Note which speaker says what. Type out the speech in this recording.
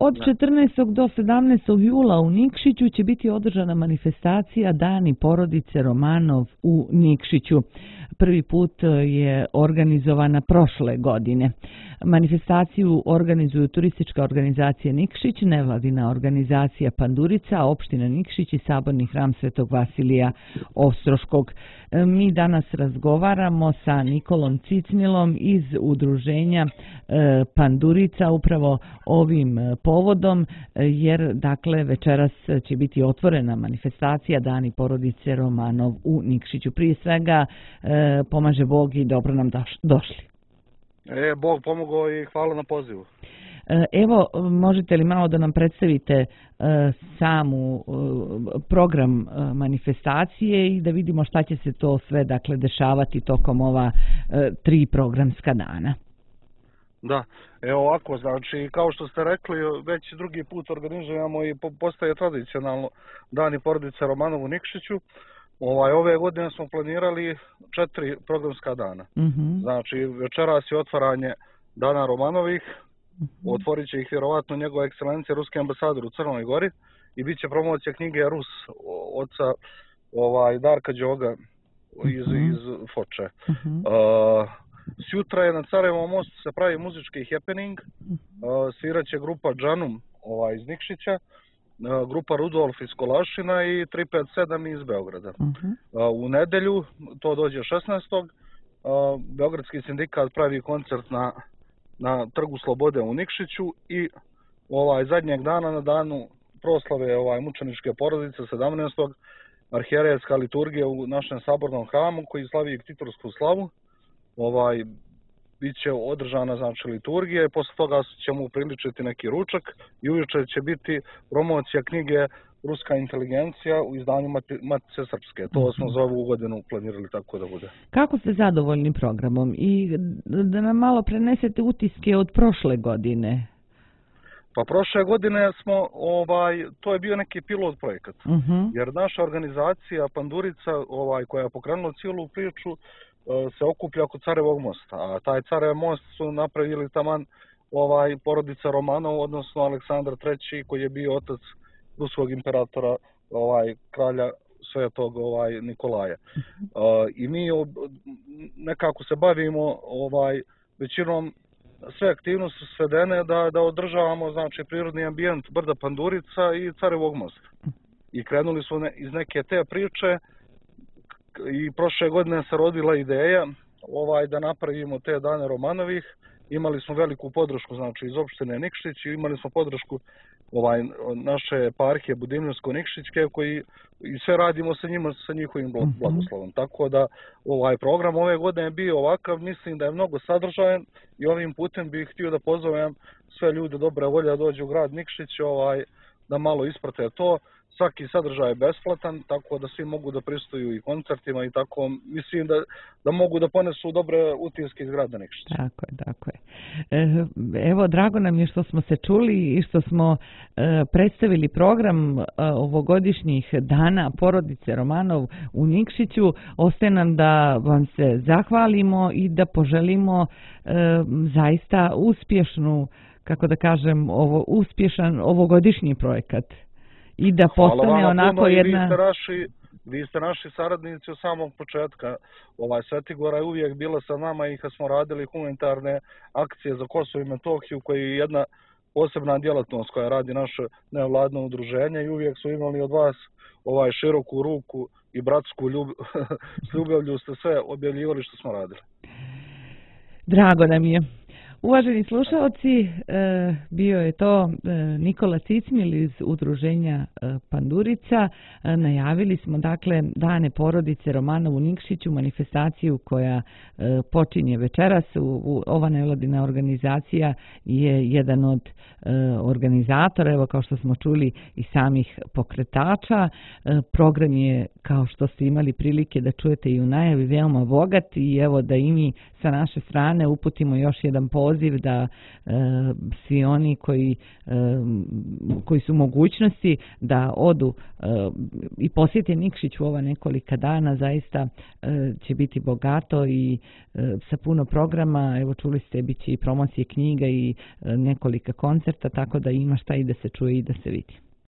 Speaker 1: Od 14. do 17. jula u Nikšiću će biti održana manifestacija Dani porodice Romanov u Nikšiću. Prvi put je organizovana prošle godine. Manifestaciju organizuju turistička organizacija Nikšić, nevladina organizacija Pandurica, opština Nikšić i Saborni hram Svetog Vasilija Ostroškog. Mi danas razgovaramo sa Nikolom Cicmilom iz udruženja Pandurica upravo ovim povodom, jer dakle večeras će biti otvorena manifestacija Dani porodice Romanov u Nikšiću. Prije svega pomaže Bog i dobro nam došli.
Speaker 2: Bog pomogao i hvala na pozivu.
Speaker 1: Evo, možete li malo da nam predstavite samu program manifestacije i da vidimo šta će se to sve dakle dešavati tokom ova 3 programska dana?
Speaker 2: Da, evo ovako, znači kao što ste rekli, već drugi put organizujemo i postaje tradicionalno Dani porodice Romanov u Nikšiću. Ove godine smo planirali 4 programska dana. Znači, večeras je otvaranje Dana Romanovih, otvorit će ih vjerovatno njegova ekscelencija ruski ambasador u Crnoj Gori i bit će promocija knjige Rus oca Darka Đoga iz Foče. Sjutra je na Carevom mostu se pravi muzički happening, svirat će grupa Džanum iz Nikšića, grupa Rudolf iz Kolašina i 357 iz Beograda. U nedelju, to dođe 16. Beogradski sindikat pravi koncert na Trgu Slobode u Nikšiću i zadnjeg dana na danu proslave mučeničke porodice 17. arhijerejska liturgija u našem sabornom hramu koji slavi ktitorsku slavu. Biće održana znači liturgija i posle toga ćemo upriličiti neki ručak i uveče će biti promocija knjige Ruska inteligencija u izdanju Matice Srpske. To smo za ovu godinu planirali tako da bude.
Speaker 1: Kako ste zadovoljni programom i da nam malo prenesete utiske od prošle godine?
Speaker 2: Pa prošle godine smo, to je bio neki pilot projekat, jer naša organizacija Pandurica, koja je pokrenula cijelu priču, se okuplja oko Carevog mosta, a taj Carev most su napravili taman porodica Romanov, odnosno Aleksandar III koji je bio otac ruskog imperatora, kralja Svetog Nikolaja. I mi nekako se bavimo većinom sve aktivnosti su svedene da održavamo znači prirodni ambijent brda Pandurica i Carevog mosta. I krenuli smo iz neke te priče i prošle godine se rodila ideja da napravimo te Dane Romanovih. Imali smo veliku podršku znači iz opštine Nikšić i imali smo podršku naše eparhije Budimljivsko-Nikšićke koji i sve radimo sa njima sa njihovim blagoslovom. Tako da program ove godine je bio ovakav, mislim da je mnogo sadržajan i ovim putem bih htio da pozovem sve ljude dobre volje da dođu u grad Nikšić da malo isprate to. Svaki sadržaj je besplatan, tako da svi mogu da pristuju i koncertima i tako, mislim da mogu da ponesu dobre utiske iz grada Nikšića.
Speaker 1: Tako je. Evo, drago nam je što smo se čuli i što smo predstavili program ovogodišnjih Dana porodice Romanov u Nikšiću. Ostaje nam da vam se zahvalimo i da poželimo zaista uspješnu, kako da kažem, uspješan ovogodišnji projekat. I da postane onako jedna...
Speaker 2: Vi ste naši saradnici od samog početka. Svetigora je uvijek bila sa nama i kad smo radili humanitarne akcije za Kosovo i Metohiju, koji je jedna posebna djelatnost koja radi naše nevladno udruženje i uvijek su imali od vas široku ruku i bratsku s ljubavlju ste sve objavljivali što smo radili.
Speaker 1: Drago nam je. Uvaženi slušalci, bio je to Nikola Cicmil iz udruženja Pandurica. Najavili smo dakle Dane porodice Romanov u Nikšiću, manifestaciju koja počinje večeras. Ova nevladina organizacija je jedan od organizatora, evo kao što smo čuli i samih pokretača. Program je, kao što ste imali prilike da čujete i u najavi, veoma bogat i evo da i mi sa naše strane uputimo još jedan poziv poziv da svi oni koji su mogućnosti da odu i posjete Nikšić u ova nekolika dana, zaista će biti bogato i sa puno programa. Evo, čuli ste, bit će i promocije knjiga i nekolika koncerta, tako da ima šta i da se čuje i da se vidi.